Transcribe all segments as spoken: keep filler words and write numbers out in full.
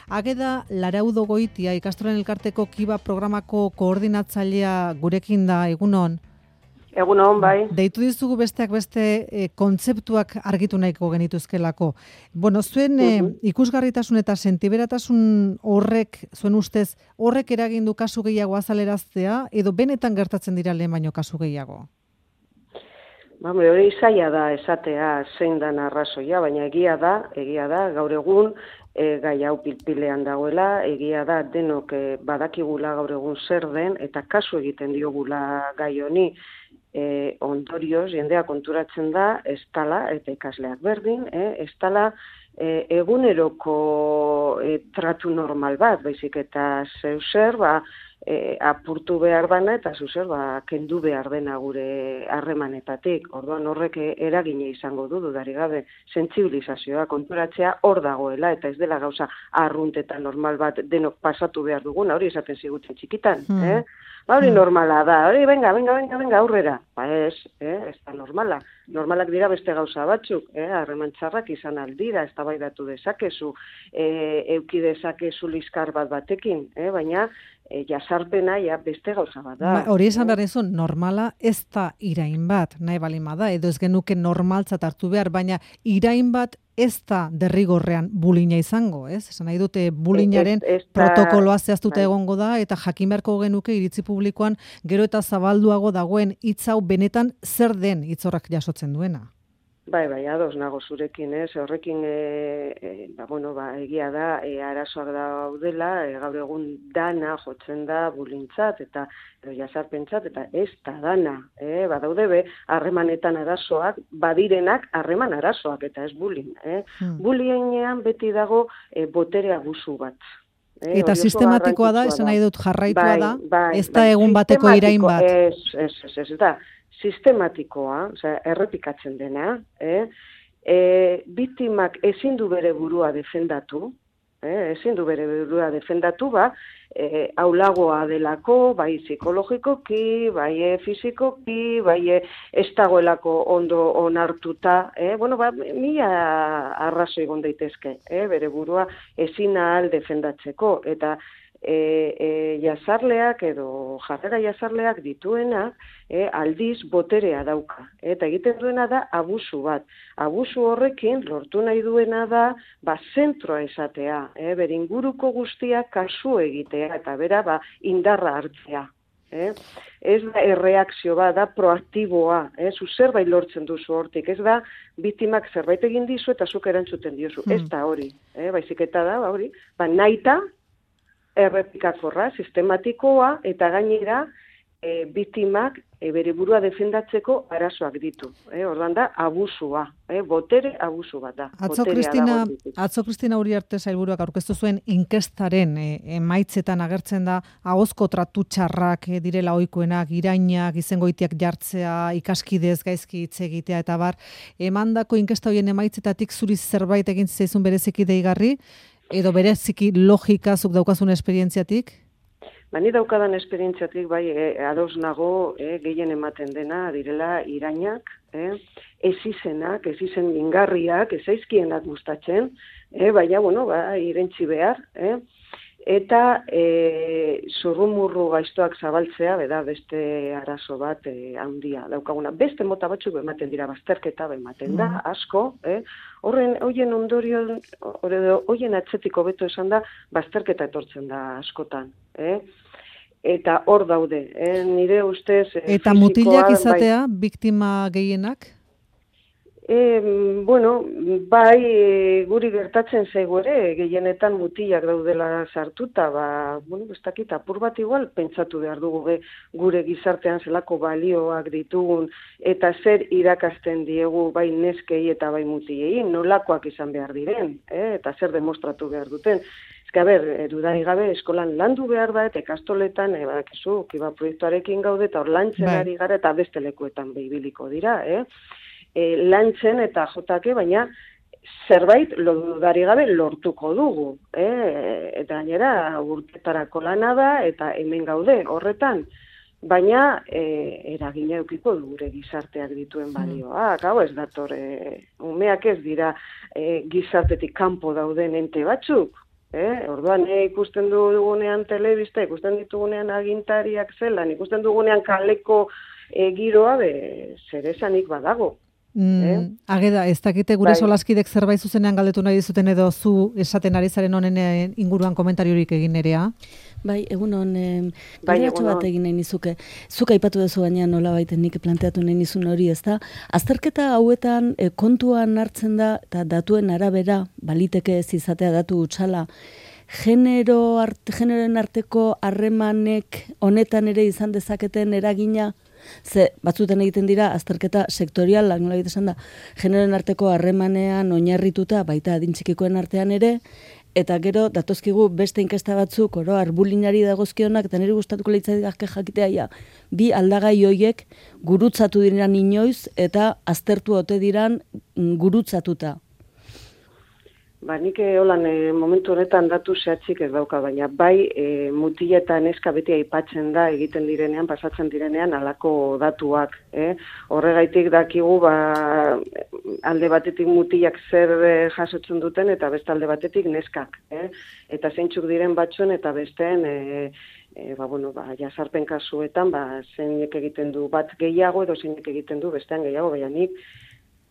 Ageda Laraudo Goitia, ikastolen elkarteko Kiba programako koordinatzailea gurekin da, egunon. Egunon, bai. Deitu dizugu besteak beste e, kontzeptuak argitu nahiko genituzkelako. Bueno, zuen e, ikusgarritasun eta sentiberatasun horrek, zuen ustez, horrek eragindu kasu gehiago azaleraztea, edo benetan gertatzen dira lehen baino kasu gehiago? Ba, hori zaila da esatea zein dan arrazoia, baina egia da, egia da, gaur egun e, gai hau pilpilean dagoela, egia da denok e, badakigula gaur egun zer den, eta kasu egiten diogula gai honi. E, ondorioz, jendea konturatzen da, ez tala, eta ikasleak berdin, eh, ez tala e, eguneroko e, tratu normal bat, baizik eta zeu zer, ba, e, apurtu behar dana, eta zeu zer, ba, kendu behar dena gure harremanetatik. Orduan horrek eragine izango du, dudarik gabe, sentsibilizazioa, konturatzea hor dagoela, eta ez dela gauza arrunt eta normal bat denok pasatu behar duguna, hori esaten ziguten txikitan, mm. eh? Ba, hori normala da, hori, venga, venga, venga, venga, aurrera. Ba ez, eh, ez da normala. Normalak dira beste gauza batzuk, eh, harreman txarrak izan aldira, ez tabaidatu dezakezu, eh, euki dezakezu liskar bat batekin, eh, baina e, jasarpena ja beste gauza bat da. Ba, hori esan behar dizu, normala ez da irain bat, nahi balin bada, edo ez genuke normaltzat hartu behar, baina irain bat ez da derrigorrean bulina izango, ez? Esan nahi dute bulinaren Ez- ez da- protokoloa zehaztuta bai. egongo da, eta jakin beharko genuke iritzi publikoan gero eta zabalduago dagoen hitz hau benetan zer den hitzorrak jasotzen duena. Bai, bai, ados nago zurekin, ez? Horrekin, e, e, ba, bueno, ba, egia da, e, arazoak daudela, e, gaur egun dana jotzen da bulintzat, eta edo jasarpentzat, eta ez da dana, eh? Badaude be, harremanetan arazoak, badirenak harreman arazoak, eta ez bulin, eh? Hmm. Bulienean beti dago e, botere abusu bat. Eh, Eta hori oso sistematikoa da, garrantzitsua esan nahi dut jarraitua Bai, da, bai, ez da bai, egun bateko irain bat. sistematiko, Ez, ez, ez, ez, da, sistematikoa, osea, errepikatzen dena, eh? E, biktimak ezin du bere burua defendatu, eh? ezin du bere burua defendatu, ba, e, aulagoa delako, bai psikologikoki, bai e, fizikoki, bai e, ez dagoelako ondo onartuta, eh? Bueno, ba, mila arrazoi egon daitezke, eh? Bere burua ezin ahal defendatzeko, eta E, e, jazarleak edo jarrera jazarleak dituenak e, aldiz boterea dauka. Eta egiten duena da abusu bat. Abusu horrekin lortu nahi duena da ba, zentroa esatea, e, bere inguruko guztiak kasu egitea eta bera ba, indarra hartzea. Eh? Ez da erreakzio bat, da proaktiboa, eh? Zu zerbait lortzen duzu hortik, ez da biktimak zerbait egin dizu eta zuk erantzuten diozu, Hmm. ez da hori, eh? Baizik eta da, ba, hori, ba, nahita, errepikakorra, sistematikoa, eta gainera e, biktimak e, bere burua defendatzeko arazoak ditu. E, orduan da, abusua, e, botere abusu bat da. Atzo Boterea Kristina, dago bitik. atzo Kristina Uriarte sailburuak aurkeztu zuen inkestaren e, emaitzetan agertzen da ahozko tratu txarrak e, direla ohikoenak, irainak, izengoitiak jartzea, ikaskidez gaizki hitz egitea eta bar. Emandako inkesta hoien emaitzetatik zuri zerbait egin zaizun bereziki deigarri, edo bereziki logika zuk daukazun esperientziatik? Ba, ni daukadan esperientziatik, bai, e, ados nago, e, gehien ematen dena, direla irainak, e, ez izenak, ez izen mingarriak, ez aizkienak gustatzen, e, baina, bueno, ba, irentzi behar, e, eta e, zurrumurru gaiztoak zabaltzea, beda, beste arazo bat e, handia daukaguna. Beste mota batzuk ematen dira, bazterketa ematen da, asko, eh? Horren, hoien ondorio, hoien atzetik hobeto esan da, bazterketa etortzen da askotan, eh? Eta hor daude, eh? Nire ustez... eh, Eta fisikoa, mutilak bai, izatea, biktima gehienak? E, bueno, bai, e, guri gertatzen zaigu ere, gehienetan mutilak daudela sartuta, ba, bueno, ez dakit, apur bat igual, pentsatu behar dugu be, gure gizartean zelako balioak ditugun, eta zer irakasten diegu bai neskei eta bai mutilei, nolakoak izan behar diren, eh? Eta zer demostratu behar duten. Ez que, a ber, dudari gabe, eskolan landu behar da, eta ikastoletan, e, badakizu, kiba proiektuarekin gaude, eta hor lantzen Bai. ari gara, eta beste lekuetan behibiliko dira, eh? E, lantzen eta jotake, baina zerbait lodari gabe lortuko dugu. Eh? Eta gainera urtetarako lana da eta hemen gaude horretan. Baina e, eragina edukiko du gure gizarteak dituen balioa. Hau ez dator, e, umeak ez dira e, gizartetik kanpo dauden ente batzuk. Eh? Orduan, e, ikusten dugunean telebista, ikusten ditugunean agintariak zelan, ikusten dugunean kaleko e, giroa, be, zer esanik badago. Mm, eh? Ageda, ez dakite gure Bai. solaskidek zerbait zuzenean galdetu nahi dizuten edo zu esaten ari zaren honen inguruan komentariorik egin nerea? Bai, egun hon, eh, Bai, galderatxo egun bat on. egin nahi nizuke. Zuk aipatu duzu baina nola baiten nik planteatu nahi nizun hori, ez da? Azterketa hauetan eh, kontuan hartzen da, eta datuen arabera, baliteke ez izatea datu utxala, genero art, generoen arteko harremanek honetan ere izan dezaketen eragina, ze batzuten egiten dira azterketa sektorial, nola egiten esan da, generoen arteko harremanean oinarrituta, baita adintxikikoen artean ere, eta gero datozkigu beste inkesta batzuk, oro, arbulinari dagozkionak, eta niri gustatuko leitzaidak jakitea, ja, bi aldagai hoiek gurutzatu diran inoiz, eta aztertu ote diran gurutzatuta. Ba, nik holan e, momentu honetan datu zehatzik ez dauka, baina bai e, mutila eta neska beti aipatzen da egiten direnean, pasatzen direnean alako datuak. Eh? Horregaitik dakigu ba, alde batetik mutilak zer e, jasotzen duten eta beste alde batetik neskak. Eh? Eta zeintzuk diren batzuen eta besteen e, e, ba, bueno, ba, jasarpen kasuetan ba, zeinek egiten du bat gehiago edo zeinek egiten du bestean gehiago, baina nik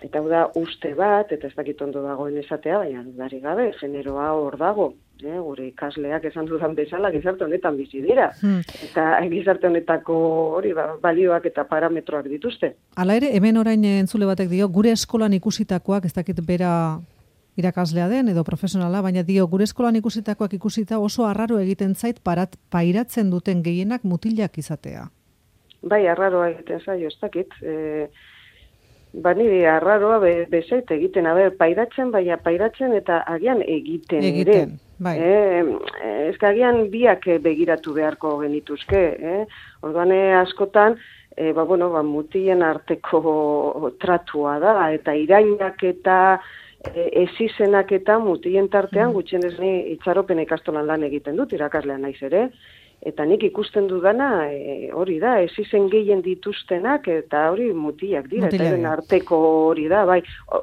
eta hau da uste bat, eta ez dakit ondo dagoen esatea, baina dudari gabe, generoa hor dago. Eh, gure ikasleak esan dudan bezala gizarte honetan bizi dira. Hmm. Eta gizarte honetako hori ba, balioak eta parametroak dituzte. Hala ere, hemen orain entzule batek dio, gure eskolan ikusitakoak, ez dakit bera irakaslea den edo profesionala, baina dio, gure eskolan ikusitakoak ikusita oso arraro egiten zait parat, pairatzen duten gehienak mutilak izatea. Bai, arraroa egiten zaio, ez dakit. E, Ba, niri arraroa be, bezait egiten, aber, pairatzen, baina pairatzen eta agian egiten, egiten ere. Bai. Eh, ez agian biak begiratu beharko genituzke. Eh? Orduan askotan, e, ba, bueno, ba, mutien arteko tratua da, eta irainak eta e, ezizenak eta mutien tartean, gutxienez ni itxaropen ikastolan lan egiten dut, irakaslean naiz ere, eta nik ikusten dudana e, hori da, ez izen gehien dituztenak, eta hori mutiak dira, Mutila eta eren arteko hori da, bai,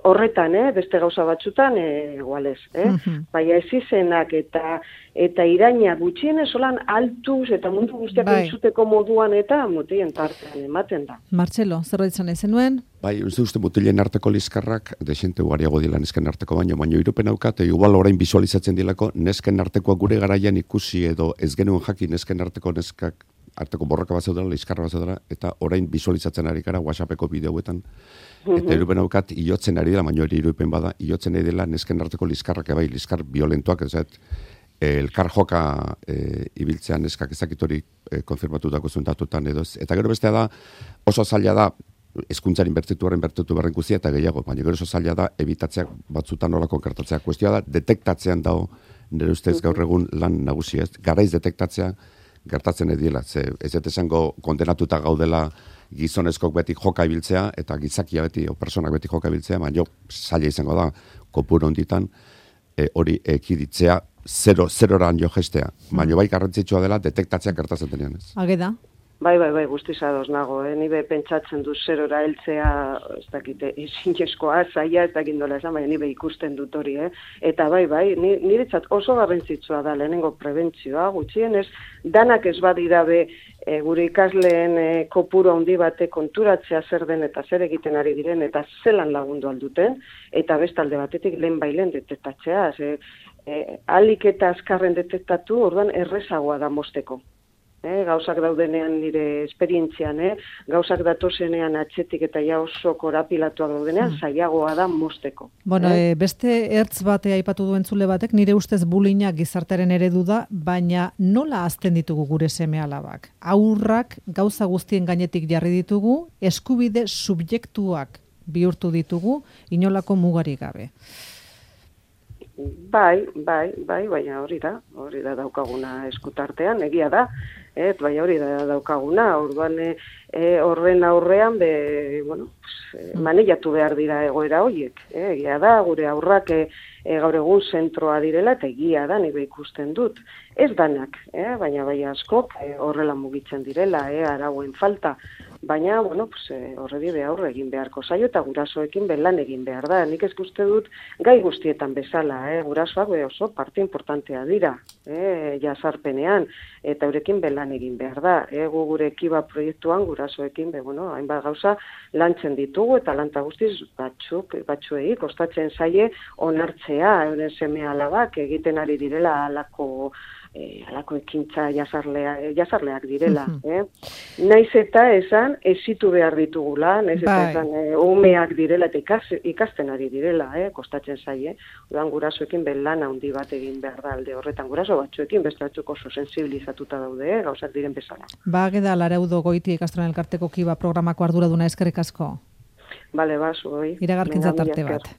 horretan, eh, beste gauza batzutan, eh, igualez, eh? Uh-huh. Bai, ez izenak eta eta iraina gutxienez solan altuz eta mundu guztiak bai. Entzuteko moduan eta mutien tartean ematen da. Martxelo, zerbait izan izen nuen? Bai, uste uste mutilen arteko liskarrak, desente ugariago dila nesken arteko baino, baino irupen haukate, igual orain visualizatzen dilako, nesken artekoa gure garaian ikusi edo ez genuen jaki nesken arteko neskak, arteko borroka bat zaudela, liskarra bat zaudela, eta orain visualizatzen ari gara WhatsAppeko bideoetan, eta irupen haukat, iotzen ari dela, baino ere irupen bada, iotzen ari dela nesken arteko liskarrak, bai, liskar violentoak, ez elkar joka e, ibiltzean neskak ezakitori e, konfirmatutako zuntatutan edo ez. Eta gero bestea da, oso zaila da, hezkuntzaren bertitu horren bertitu berren guztia eta gehiago, baina gero oso zaila da, ebitatzeak batzutan hola konkertatzea. Kuestioa da, detektatzean dago, nire ustez gaur egun lan nagusia ez, garaiz detektatzea gertatzen ediela. Ze, ez ez esango kondenatuta gaudela gizonezkok beti joka ibiltzea, eta gizakia beti, o personak beti joka ibiltzea, baina jo, zaila izango da, kopuru honditan, e, hori ekiditzea, zero, zeroran jo gestea. Baina bai garrantzitsua dela detektatzea gertatzen denean ez. Ageda? Bai, bai, bai, guztiz ados nago, eh? Ni be pentsatzen du zerora heltzea, ez dakite, ezinezkoa, zaila, ez dakit nola esan, baina ni be ikusten dut hori, eh? Eta bai, bai, niretzat oso garrantzitsua da lehenengo prebentzioa, gutxienez, danak ez badira be, e, gure ikasleen e, kopuru handi bate konturatzea zer den eta zer egiten ari diren, eta zelan lagundu alduten, eta bestalde batetik lehen bailen detektatzea, ze, e, alik eta azkarren detektatu, orduan errezagoa da mosteko. Eh, gauzak daudenean nire esperientzian, eh, gauzak datozenean atxetik eta ja oso korapilatuak daudenean, zailagoa da mosteko. Bueno, eh? e, beste ertz bate aipatu duen zule batek, nire ustez bullyinga gizartearen eredu da, baina nola hazten ditugu gure seme-alabak? Haurrak gauza guztien gainetik jarri ditugu, eskubide subjektuak bihurtu ditugu, inolako mugarik gabe. Bai, bai, bai, baina hori da, hori da daukaguna eskutartean, egia da, et, bai hori da daukaguna, orduan e, horren aurrean, be, bueno, pues, maneiatu behar dira egoera horiek, e, egia da, gure aurrak e, e, gaur egun zentroa direla, eta egia da, nire ikusten dut. Ez danak, e, baina bai askok e, horrela mugitzen direla, e, arauen falta, baina, bueno, pues, e, horredi behar egin beharko zaio, eta gurasoekin belan egin behar da. Nik ez guzti dut gai guztietan bezala, eh? Gurasoak be oso parte importantea dira, eh? Jazarpenean, eta eurekin belan egin behar da. Eh? Gu gure Kiba proiektuan gurasoekin, be, bueno, hainbat gauza lantzen ditugu, eta lanta guztiz batzuk, batzuei, kostatzen zaie onartzea, euren seme alabak egiten ari direla alako E, alako ekintza jazarlea, jazarleak direla. eh? Naiz eta esan, ezitu behar ditugula, naiz eta bai. esan, e, umeak direla eta ikas, ikasten ari direla, eh? Kostatzen zaie. Udan gurasoekin belan handi bat egin behar da alde horretan. Guraso batzuekin, beste batzuk oso sensibilizatuta daude, eh? Gauzak diren bezala. Ba, geda Laraudo Goiti ikastolen elkarteko Kiba programako arduraduna eskerrik asko. Bale, ba, zuoi. Iragarkintza tarte bat.